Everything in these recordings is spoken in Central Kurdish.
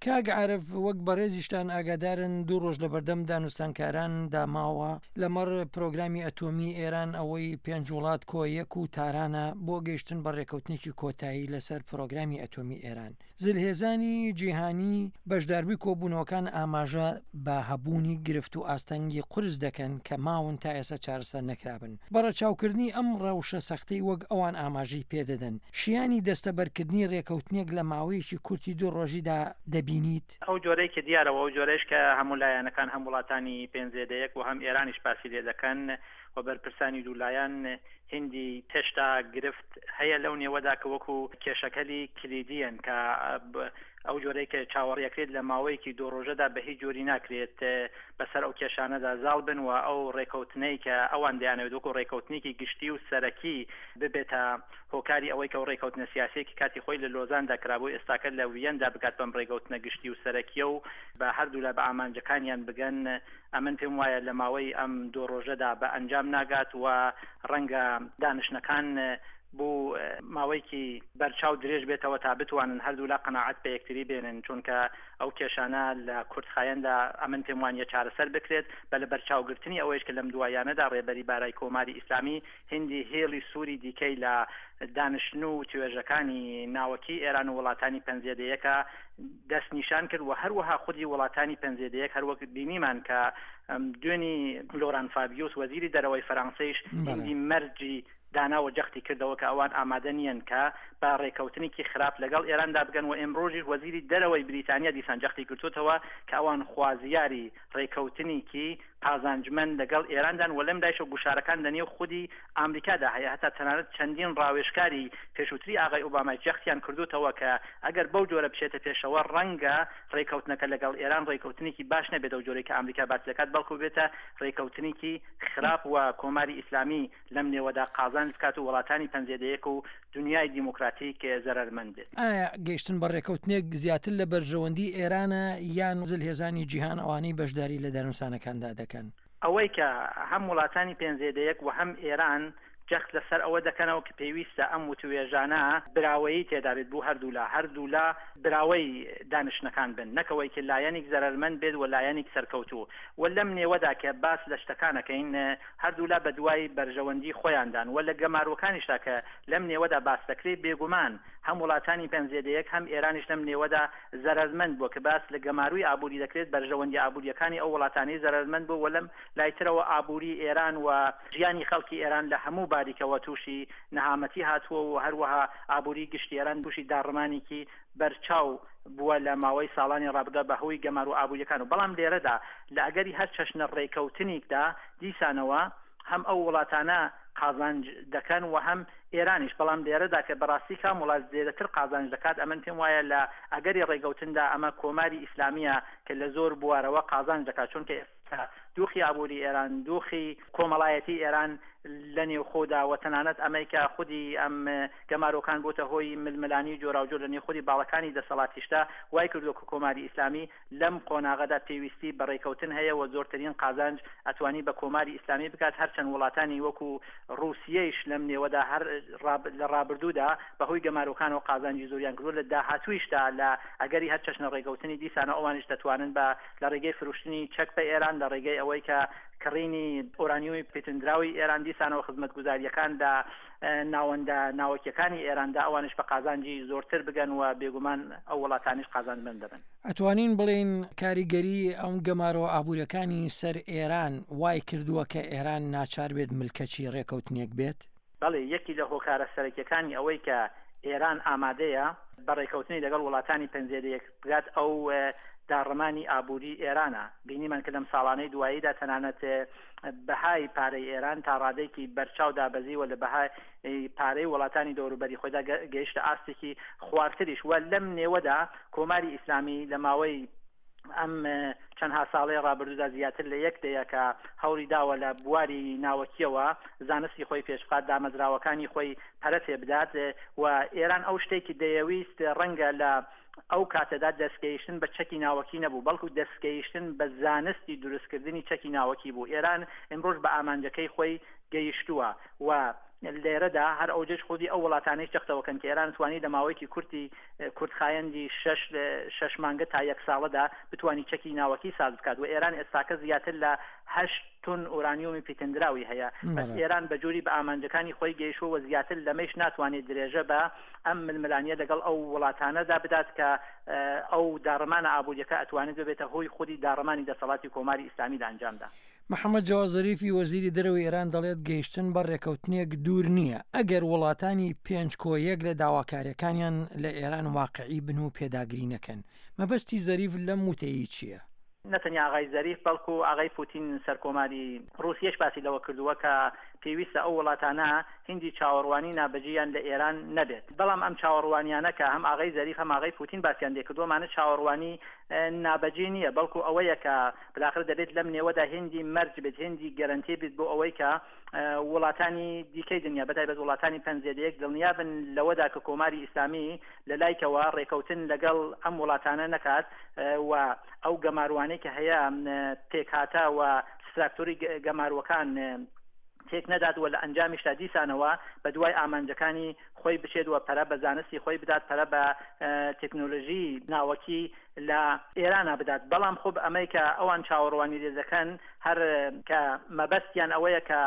کاک عارف وەک بەڕێزیشتان ئاگادارن دوو ڕۆژ لەبەردەم دانوستانکاران دا ماوە لەمەڕ پرۆگرامی ئەتۆمی ئێران ئەوەی پێنج وڵات کۆ یەک و تارانە بۆ گەیشتن بە ڕێکەوتنێکی کۆتایی لەسەر پرۆگرامی ئەتۆمی ئێران. زلهێزانی جیهانی بەشداربووی کۆبوونەوەکان ئاماژە بە هەبوونی گرفت و ئاستەنگی قورس دەکەن کە ماون تا ئێستا چارەسەر نەکرابن. بە ڕەچاوکردنی ئەم ڕەوشە سەختەی وەک ئەوان ئاماژەی پێدەدەن، شیانی دەستەبەرکردنی رێکەوتنێک لە ماوەیەکی کورتی دوو ڕۆژیدا دەبینیت؟ ئەو جۆرەی کە دیارە و ئەو جۆرەیش کە هەموو لایەنەکان هەم وڵاتانی پێنج زێدە یەک و هەم ئێرانیش باسی لێ دەکەن و بەرپرسانی دوو لایەن هیندی هێشتا گرفت هەیە لەو نێوەدا کە وەکوو کێشەکەلی کلیدییەن کە ئەو جۆرەی کە چاوەڕیەکرێت لە ماوەیەکی دوو ڕۆژەدا بە هیچ جۆری ناکرێت بەسەر ئەو کێشانەدا زاڵ بن و ئەو ڕێکەوتنەی کە ئەوان دەیانەوێت وەکو ڕێکەوتنێکی گشتی و سەرەکی ببێتە هۆکاری ئەوەی کە ئەو ڕێکەوتنە سیاسیەی کە کاتی خۆی لە لۆزاندا کرابوو ئێستاکە لە ویەندا بگات بەم ڕێگەوتنە گشتی و سەرەکیە و بە هەردوولا بە ئامانجەکانیان بگەن ئەمن پێم وایە لە ماوەی ئەم دوو ڕۆژەدا بە ئەنجام ناگات و ڕەنگە دانیشتنەکان بۆ ماوەیەکی بەرچاو درێژ بێتەوە تا بتوانن هەردوولا قەناعەت بە یەکتری بێنن چونکە ئەو کێشانە لە کورتخایەندا ئەمن پێم وانیە چارەسەر بکرێت بە لەبەرچاوگرتنی ئەوەیش کە لەم دواییانەدا ڕێبەری بارای کۆماری ئیسلامی هیندی هێڵی سووری دیکەی لە دانیشتن و وتوێژەکانی ناوەکی ئێران و وڵاتانی پەنجزێدەیەکە دەستنیشان کرد و هەروەها خودی وڵاتانی پەنجزێدەیەک هەروەک بینیمان کە دوێنی لۆران فابیوس وەزیری دەرەوەی فەرانسەیش هیندی مەرجی دانا و جەختی کردەوە کە ئەوان ئامادە نییەن کە بە ڕێکەوتنێکی خراپ لەگەڵ ئێراندا بگەن و ئێمڕۆژیش وەزیری دەرەوەی بریتانیا دیسان جەختی کردووەتەوە کە ئەوان خوازیاری ڕێکەوتنیکی قازانجمەند لەگەڵ ئێراندان و لەم لایشەوە گوشارەکان لە نێو خودی ئامریکادا هەیە هەتا تەنانەت چەندین ڕاوێژکاری پێشووتری ئاغای ئۆبامای جەختیان کردووتەوە کە ئەگەر بەو جۆرە بچێتە پێشەوە ڕەنگە ڕێکەوتنەکە لەگەڵ ئێران ڕێکەوتنێکی باش نەبێت ئەو جۆرەی کە ئامریکا باسی دەکات بەڵکو ببێتە ڕێکەوتنێکی خراپ و کۆماری ئیسلامی لەم نێوەدا قازانج بکات و وڵاتانی پەنجێدەیەک و دنیای دیموکراتیک زەرەرمەند بێت. ئایا گەیشتن بە ڕێکەوتنێک زیاتر لە بەرژەوەندی ئێرانە یان زلهێزانی جیهان ئەوانەی بەشداری لە دانوسانەکاندا دەکەن؟ ئەوەی کە هەم وڵاتانی پێنجزێدەیەک و هەم ئێران جەخت لەسەر ئەوە دەکەنەوە کە پێویستە ئەم وتووێژانە براوەیی تێدا بێت بۆ هەردوولا، هەردوولا براوەی دانیشتنەکان بن نەک ئەوەی کە لایەنیک زەرەرمەند بێت و لایەنیک سەرکەوتوو و لەم نێوەدا کە باس لە شتەکان ئەکەین هەردوولا بەدوای بەرژەوەندی خۆیاندان و لە گەمارۆکانیشدا کە لەم نێوەدا باس دەکرێت بێگومان هەم وڵاتانی پەنجزێدەیەک هەم ئێرانیش لەم نێوەدا زەرەرمەند بووە کە باس لە گەماروی ئابووری دەکرێت بەرژەوەندی ئابوورییەکانی ئەو وڵاتانەی زەرەرمەند بووە و لەم لای ترەوە ئابووری ئێران و ژیانی خەڵکی ئێران لە هەموو باریکەوە تووشی نەهامەتی هاتووە و هەروەها ئابووری گشتی ئێران تووشی داڕمانێکی بەرچاو بووە لە ماوەی ساڵانی ڕابردوودا بە هۆی گەمارۆ ئابوورییەکان و بەڵام لێرەدا لە ئەگەری هەر چەشنە ڕێکەوتنیکدا دیسانەوە هەم ئەو وڵاتانە قازانج دەکەن و هەم ئێرانیش بەڵام لێرەدا کە بەڕاستی کام وڵات زێدەتر قازانج دەکات ئەمن پێم وایە لە ئەگەری ڕێگەوتندا ئەمە کۆماری ئیسلامییە کە لە زۆر بوارەوە قازانج دەکات چونکە ئێستا دوخی ئابووری ئێران، دوخی کۆمەڵایەتی ئێران لە نێوخۆدا و تەنانەت ئەمەی کە خودی ئەم گەمارۆکان بۆتە هۆی ململانیی جۆراوجۆر لە نێو خودی باڵەکانی دەسەڵاتیشدا وای کردووە کە کۆماری ئیسلامی لەم قۆناغەدا پێویستی بە ڕێکەوتن هەیە و زۆرترین قازانج ئەتوانی بە کۆماری ئیسلامی بکات هەرچەند وڵاتانی وەکوو ڕووسیەیش لەم نێوەدا هەر لە ڕابردوودا بە هۆی گەمارۆکانەوە قازانجی زۆریان کردووە لە داهاتوویشدا لە ئەگەری هەر چەشنە ڕێکەوتنی دیسانەوە ئەوانیش دەتوانن بە لە ڕێگەی فرۆشتنی چەک بە ئێران، لە ڕێگەی ئەوەی کە کڕینی ئۆرانیۆمی پیتندراوی ئێران، دیسانەوە خزمەتگوزارییەکان لە ناوەندە ناوەکییەکانی ئێراندا ئەوانیش بە قازانجی زۆرتر بگەن و بێگومان ئەو وڵاتانیش قازانجمەند دەبن. ئەتوانین بڵێین کاریگەری ئەم گەمارۆ ئابووریەکانی سەر ئێران وای کردووە کە ئێران ناچار بێت ملکەچی ڕێکەوتنێک بێت؟ بەڵێ، یەکی لە هۆکارە سەرەکیەکانی ئەوەی کە ئێران ئامادەیە بە ڕێکەوتنی لەگەڵ وڵاتانی پەنجێدەیەک بگات ئەو داڕمانی ئابووری ئێرانە. بینیمان کە لەم ساڵانەی دواییدا تەنانەت بەهای پارەی ئێران تا ڕادەیەکی بەرچاو دابەزیوە لە بەهای پارەی وڵاتانی دەوروبەری خۆیدا گەیشتە ئاستێکی خوارتریش و لەم نێوەدا کۆماری ئیسلامی لە ماوەی ئەم چەندها ساڵەی ڕابردوودا زیاتر لە یەک دەیە کە هەوڵی داوە لە بواری ناوەکییەوە زانستی خۆی پێش بخات، دامەزراوەکانی خۆی پەرە پێ بدات و ئێران ئەو شتێکی دەیەویست ڕەنگە لە ئەو کاتەدا دەستگەیشتن بە چەکی ناوەکی نەبوو، بەڵکو دەستگەیشتن بە زانستی دروستکردنی چەکی ناوەکی بوو. ئێران ئیمڕۆژ بە ئامانجەکەی خۆی گەیشتووە و. لێرەدا هەر ئەوجەش خودی ئەو وڵاتانەیش جەختەوەکەن کە ئێران توانی لە ماوەیەکی کورتی کورتخایەندی شەش شەش مانگە تا یەک ساڵەدا بتوانی چەکی ناوەکی ساز بکات و ئێران ئێستاکە زیاتر لە هەشت تون ئورانیۆمی پیتندراوی هەیە بەس ئێران بە جوری بە ئامانجەکانی خۆی گەیشوە و زیاتر لەمەیش ناتوانێت درێژە بە ئەم ململانیە لەگەڵ ئەو وڵاتانەدا بدات کە ئەو داڕمانە ئابووریەکە ئەتوانێت ببێتە هۆی خودی داڕمانی دەسەڵاتی کۆماری ئیسلامی لە ئەنجامدا. محەمەد جەواد زەریفی وەزیری دەرەوەی ئێران دەڵێت گەیشتن بە ڕێکەوتنێک دوور نییە ئەگەر وڵاتانی پێنج کۆ یەک لە داواکاریەکانیان لە ئێران واقعی بن و پێداگری نەکەن. مەبەستی زەریف لەم وتەیی چییە؟ نە تەنیا ئاغای زەریف بەڵکو ئاغای پوتین سەرکۆماری ڕووسیەش باسی لەوە کردووە کە پێویستە ئەو وڵاتانە هیندی چاوەڕوانی نابەجێیان لە ئێران نەبێت. بەڵام ئەم چاوەڕوانیانە کە هەم ئاغای زەریف هەم ئاغای پوتین باسیان لێکردووە مانە چاوەڕوانی نابەجێ نییە بەڵکو ئەوەیە کە بالاخرە دەبێت لەم نێوەدا هێندی مەرج بێت، هێندی گەرەنتی بێت بۆ ئەوەی کە وڵاتانی دیکەی دنیا بەتایبەت وڵاتانی پەنجزێدەیەک دڵنیا بن لەوەدا کە کۆماری ئیسلامی لە لایکەوە ڕێکەوتن لەگەڵ ئەم وڵاتانە نەکات و ئەو گەماروانەی کە هەیە پێکهاتە و ستراکتۆری گەماروەکان تێک نەدات و لە ئەنجامیشدا دیسانەوە بە دوای ئامانجەکانی خۆی بچێت و پەرە بە زانستی خۆی بدات، پەرە بە تەکنۆلۆژی ناوەکی لە ئێرانا بدات، بەڵام خب ئەمەی کە ئەوان چاوەڕوانی لێ دەکەن هەر کە مەبەستیان ئەوەیە کە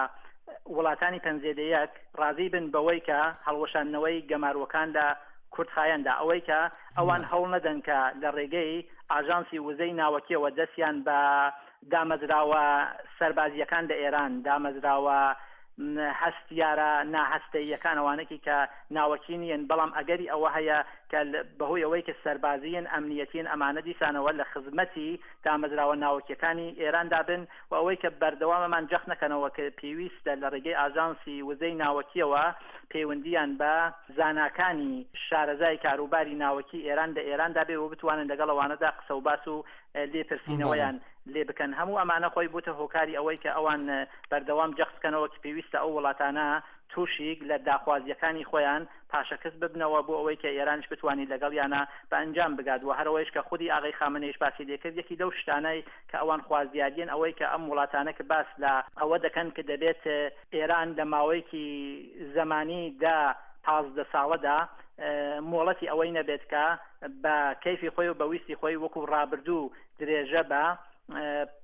وڵاتانی پەنجزێدەیەک ڕازی بن بەوەی کە هەڵوەشاندنەوەی گەماروەکان لە کورتخایەندا ئەوەی کە ئەوان هەوڵ نەدەن کە لە ڕێگەی ئاژانسی وزەی ناوەکیەوە دەستیان بە دامەزراوە سەربازییەکان لە ئێران، دامەزراوە هەستیارە ناهەستەییەکان، ئەوانەکی کە ناوەکی نیین، بەڵام ئەگەری ئەوە هەیە کە بەهۆی ئەوەی کە سەربازیین، ئەمنیەتین، ئەمانە دیسانەوە لە خزمەتی دامەزراوە ناوەکییەکانی ئێراندا بن و ئەوەی کە بەردەوام ئەمان جەخت نەکەنەوە کە پێویستە لە ڕێگەی ئاژانسی وزەی ناوەکییەوە پەیوەندییان بە زاناکانی شارەزای کاروباری ناوەکی ئێران لە ئێراندا بێ و بتوانن لەگەڵ ئەوانەدا قسەوباس و لێپرسینەوەیان لێ بکەن. هەموو ئەمانە خۆی بووتە هۆکاری ئەوەی کە ئەوان بەردەوام جەخت بکەنەوە کە پێویستە ئەو وڵاتانە تووشیک لە داخوازییەکانی خۆیان پاشەکس ببنەوە بۆ ئەوەی کە ئێرانیش بتوانیت لەگەڵیانا بە ئەنجام بگات و هەرەوەیش کە خودی ئاغای خامنەیش باسی لێ کرد یەکی لەو شتانەی کە ئەوان خوازیاریین ئەوەی کە ئەم وڵاتانە کە باس لە ئەوە دەکەن کە دەبێت ئێران لە ماوەیەکی زەمانی دە 15 ساڵەدا مۆڵەتی ئەوەی نەبێت کە بە کەیفی خۆی و بە ویستی خۆی وەکو ڕابردوو درێژە بە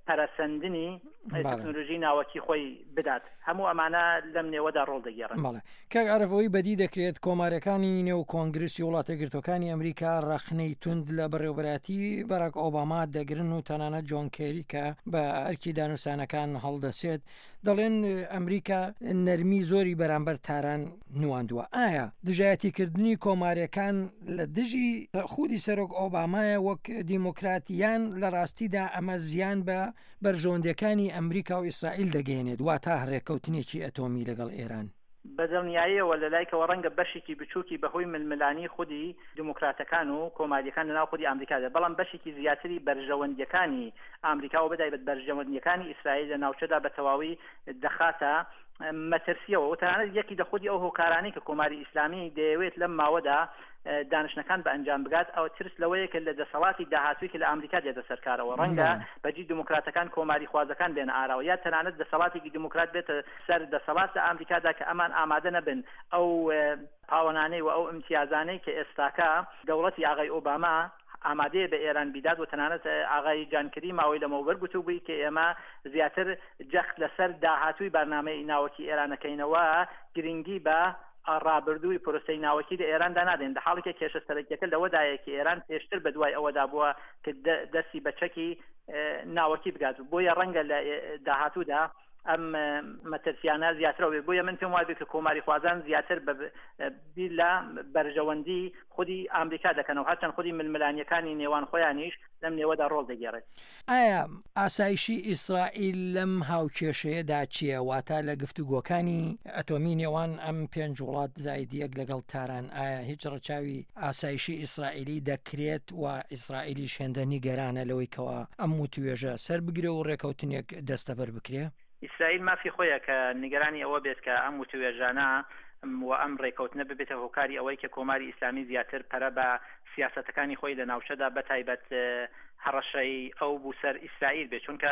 پەرەسەندنی تەکنۆلۆژی ناوەکی خۆی بدات هەموو ئەمانە لەم نێوەدا ڕۆڵ دەگێڕن. بەڵێ کاک عارف ئەوەی بەدی دەکرێت کۆمارەکانی نێو کۆنگرسی وڵاتە یەکگرتووەکانی ئەمریکا ڕەخنەی توند لە بەڕێوەبەرایەتی باراک ئۆباما دەگرن و تەنانەت جۆن کێری کە بە ئەرکی دانوسانەکان هەڵدەسێت دەڵێن ئەمریکا نەرمی زۆری بەرامبەر تاران نواندووە. ئایا دژایەتیکردنی کۆماریەکان لە دژی خودی سەرۆک ئۆبامایە وەک دیموکرات یان لە ڕاستیدا ئەمە زیان بە بەرژەوەندیەکانی ئەمریکا و ئیسرائیل دەگەیەنێت واتا ڕێککەوتنێکی ئەتۆمی لەگەڵ ئێران؟ بە دڵنیاییەوە لە لایکەوە ڕەنگە بەشێکی بچووکی بە هۆی ململانیی خودی دیموکراتەکان و کۆمارییەکان لە ناو خودی ئامریکا بێت، بەڵام بەشێکی زیاتری بەرژەوەندییەکانی ئامریکا و بەتایبەت بەرژەوەندییەکانی ئیسرائیل لە ناوچەدا بە تەواوی دەخاتە مەترسییەوە و تەنانەت یەکی لە خودی ئەو هۆکارانەی کە کۆماری ئیسلامی دەیەوێت لەم ماوەدا دانیشتنەکان بە ئەنجام بگات ئەوە ترس لەوەیە کە لە دەسەڵاتی داهاتووی کە لە ئامریکا دێتە سەر کارەوە ڕەنگە بەجی دیموکراتەکان کۆماریخوازەکان بێنە ئاراوە یا تەنانەت دەسەڵاتێکی دیموکرات بێتە سەر دەسەڵات لە ئامریکادا کە ئەمان ئامادە نەبن ئەو پاوەنانەی و ئەو ئیمتیازانەی کە ئێستاکە دەوڵەتی ئاغای ئۆباما ئامادەیە بە ئێران بیدات و تەنانەت ئاغای جان کری ماوەی لەمەوبەر گوتوبووی کە ئێمە زیاتر جەخت لەسەر داهاتووی بارنامەی ناوەکی ئێران ئەکەینەوە گرنگی بە ڕابردووی پرۆسەی ناوەکی لە ئێراندا نادەین لە حاڵێکە کێشە سەرەکیەکە لەوەدایە کە ئێران پێشتر بە دوای ئەوەدا بووە کە دەستی بە چەکی ناوەکی بگات بۆیە ڕەنگە لە داهاتوودا ئەم مەترسیانە زیاترەوە بێت بۆیە من پێم وابێت کە کۆماری خوازان زیاتر بە بیر لە بەرژەوەندی خودی ئامریکا دەکەنەوە هەرچەند خودی ململانیەکانی نێوان خۆیانیش لەم نێوەدا ڕۆڵ دەگێڕێت. ئایا ئاسایشی ئیسرائیل لەم هاوکێشەیەدا چییە؟ واتە لە گفتوگۆکانی ئەتۆمی نێوان ئەم پێنج وڵات زاید یەک لەگەڵ تاران ئایا هیچ ڕەچاوی ئاسایشی ئیسرائیلی دەکرێت و ئیسرائیلیش هێندە نیگەرانە لەوەی کەوا ئەم وتوێژە سەر بگرێ و ڕێکەوتنێک دەستەبەر بکرێ؟ ئیسرائیل مافی خۆیە کە نیگەرانی ئەوە بێت کە ئەم وتوێژانە و ئەم ڕێکەوتنە ببێتە هۆکاری ئەوەی کە کۆماری ئیسلامی زیاتر پەرە بە سیاسەتەکانی خۆی لە ناوچەدا بە تایبەت هەڕەشەی ئەو بو سەر ئیسرائیل بێت، چونکە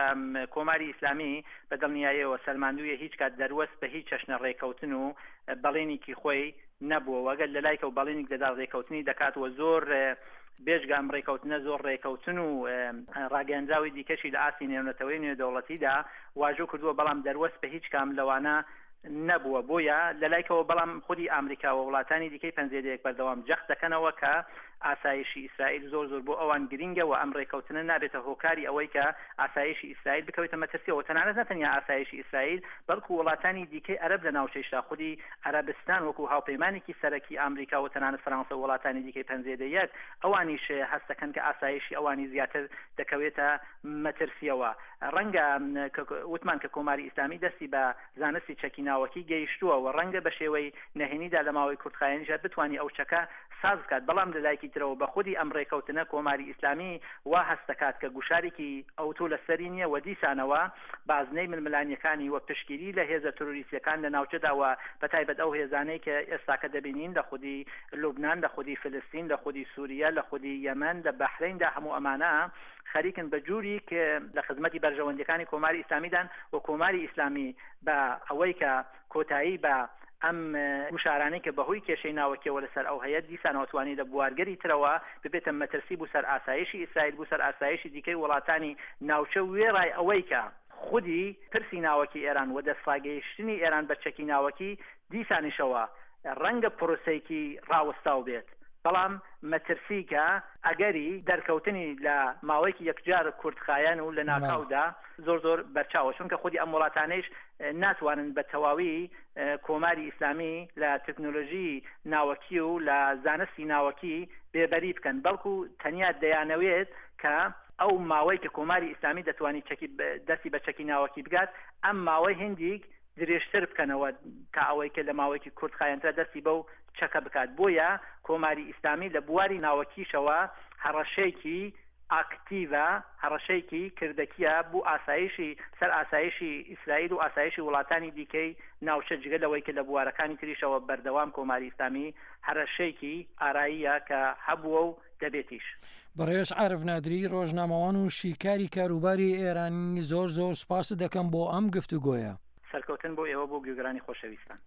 کۆماری ئیسلامی بە دڵنیایەوە سەلماندوویە هیچ کات دەروەست بە هیچ چەشنە ڕێکەوتن و بەڵێنیکی خۆی نەبووە و ئەگەر لە لایکەوە بەڵێنیک دەدات ڕێکەوتنی دەکات و زۆر بێجگە ئەم ڕێکەوتنە زۆر ڕێکەوتن و ڕاگەیەندراوی دیکەشی لە ئاستی نێونەتەوەی نێودەوڵەتیدا واژۆ کردووە بەڵام دەروەست بە هیچ کام لەوانە نەبووە بۆیە لەلایکەوە بەڵام خودی ئامریکا و وڵاتانی دیکەی پەنجێدەیەک بەردەوام جەخت دەکەنەوە کە ئاسایشی ئیسرائیل زۆر زۆر بۆ ئەوان گرینگە و ئەم ڕێکەوتنە نابێتە هۆکاری ئەوەی کە ئاسایشی ئیسرائیل بکەوێتە مەترسیەوە تەنانەت نەتەنیا ئاسایشی ئیسرائیل بەڵکو وڵاتانی دیکەی عەرەب لە ناوچەیشدا خودی عەرەبستان وەکو هاوپەیمانێکی سەرەکی ئامریکا و تەنانەت فەرانسە و وڵاتانی دیکەی پەنجێدەیەک ئەوانیش هەست دەکەن کە ئاسایشی ئەوانی زیاتر دەکەوێتە مەترسیەوە. ڕەنگە وتمان کە کۆماری ئیسلامی دەستی بە زانستی چەکی ناوەکی گەیشتووە و ڕەنگە بە شێوەی نەهێنیدا لە ماوەی کورتخایەنیشدا بتوانی ئەو چەکە ساز بکات، بەڵام لە لایەکی ترەوە بە خودی ئەم ڕێکەوتنە کۆماری ئیسلامی وا هەست دەکات کە گوشارێکی ئەوتۆ لە سەری نییە و دیسانەوە بازنەی ململانییەکانی و پشتگیری لە هێزە ترۆریستییەکان لە ناوچەدا و بە تایبەت ئەو هێزانەی کە ئێستاکە دەبینین لە خودی لوبنان، لە خودی فلستین، لە خودی سوریە، لە خودی یەمەن، لە بەحرەیندا هەموو ئەمانە خەریکن بە جوریک لە خزمەتی بەرژەوەندیەکانی کۆماری ئیسلامیدان و کۆماری ئیسلامی بە ئەوەی کە کۆتایی بە ئەم گوشارانەی کە بەهۆی کێشەی ناوەکیەوە لەسەر ئەو هەیە دیسانەوە توانی لە بوارگەری ترەوە ببێتە مەترسی بو سەر ئاسایشی ئیسرائیل بو سەر ئاسایشی دیکەی وڵاتانی ناوچە وێڕای ئەوەی کە خودی پرسی ناوەکی ئێران و دەستڕاگەیشتنی ئێران بە چەکی ناوەکی دیسانیشەوە ڕەنگە پرۆسەیەکی ڕاوەستاو بێت، بەڵام مەترسی کە ئەگەری دەرکەوتنی لە ماوەیەکی یەکجار کورتخایەن و لەناکاودا زۆر زۆر بەرچاوە، چونکە خودی ئەم وڵاتانەیش ناتوانن بە تەواوی کۆماری ئیسلامی لە تەکنۆلۆژیی ناوەکی و لە زانستی ناوەکی بێبەری بکەن، بەڵکو تەنیا دەیانەوێت کە ئەو ماوەی کە کۆماری ئیسلامی دەتوانی چەکی دەستی بە چەکی ناوەکی بگات، ئەم ماوەی هیندیک درێژتر بکەنەوە تا ئەوەی کە لە ماوەیەکی کورتخایەنترا دەستی بەو چەکە بکات، بۆیە کۆماری ئیسلامی لە بواری ناوەکیشەوە هەڕەشەیەکی ئاکتیڤە، هەڕەشەیەکی کردەکییە بو ئاسایشی سەر ئاسایشی ئیسرائیل و ئاسایشی وڵاتانی دیکەی ناوچە، جگە لەوەی کە لە بوارەکانی تریشەوە بەردەوام کۆماری ئیسلامی هەرەشەیەکی ئاراییە کە هەبووە و دەبێتیش. بەڕێز عارف نادری ڕۆژنامەوان و شیکاری کاروباری ئێرانی زۆر زۆر سوپاست دەکەم بۆ ئەم گفتوگۆیە. سەرکەوتن بۆ ئێوە بۆ گوێگرانی خۆشەویستان.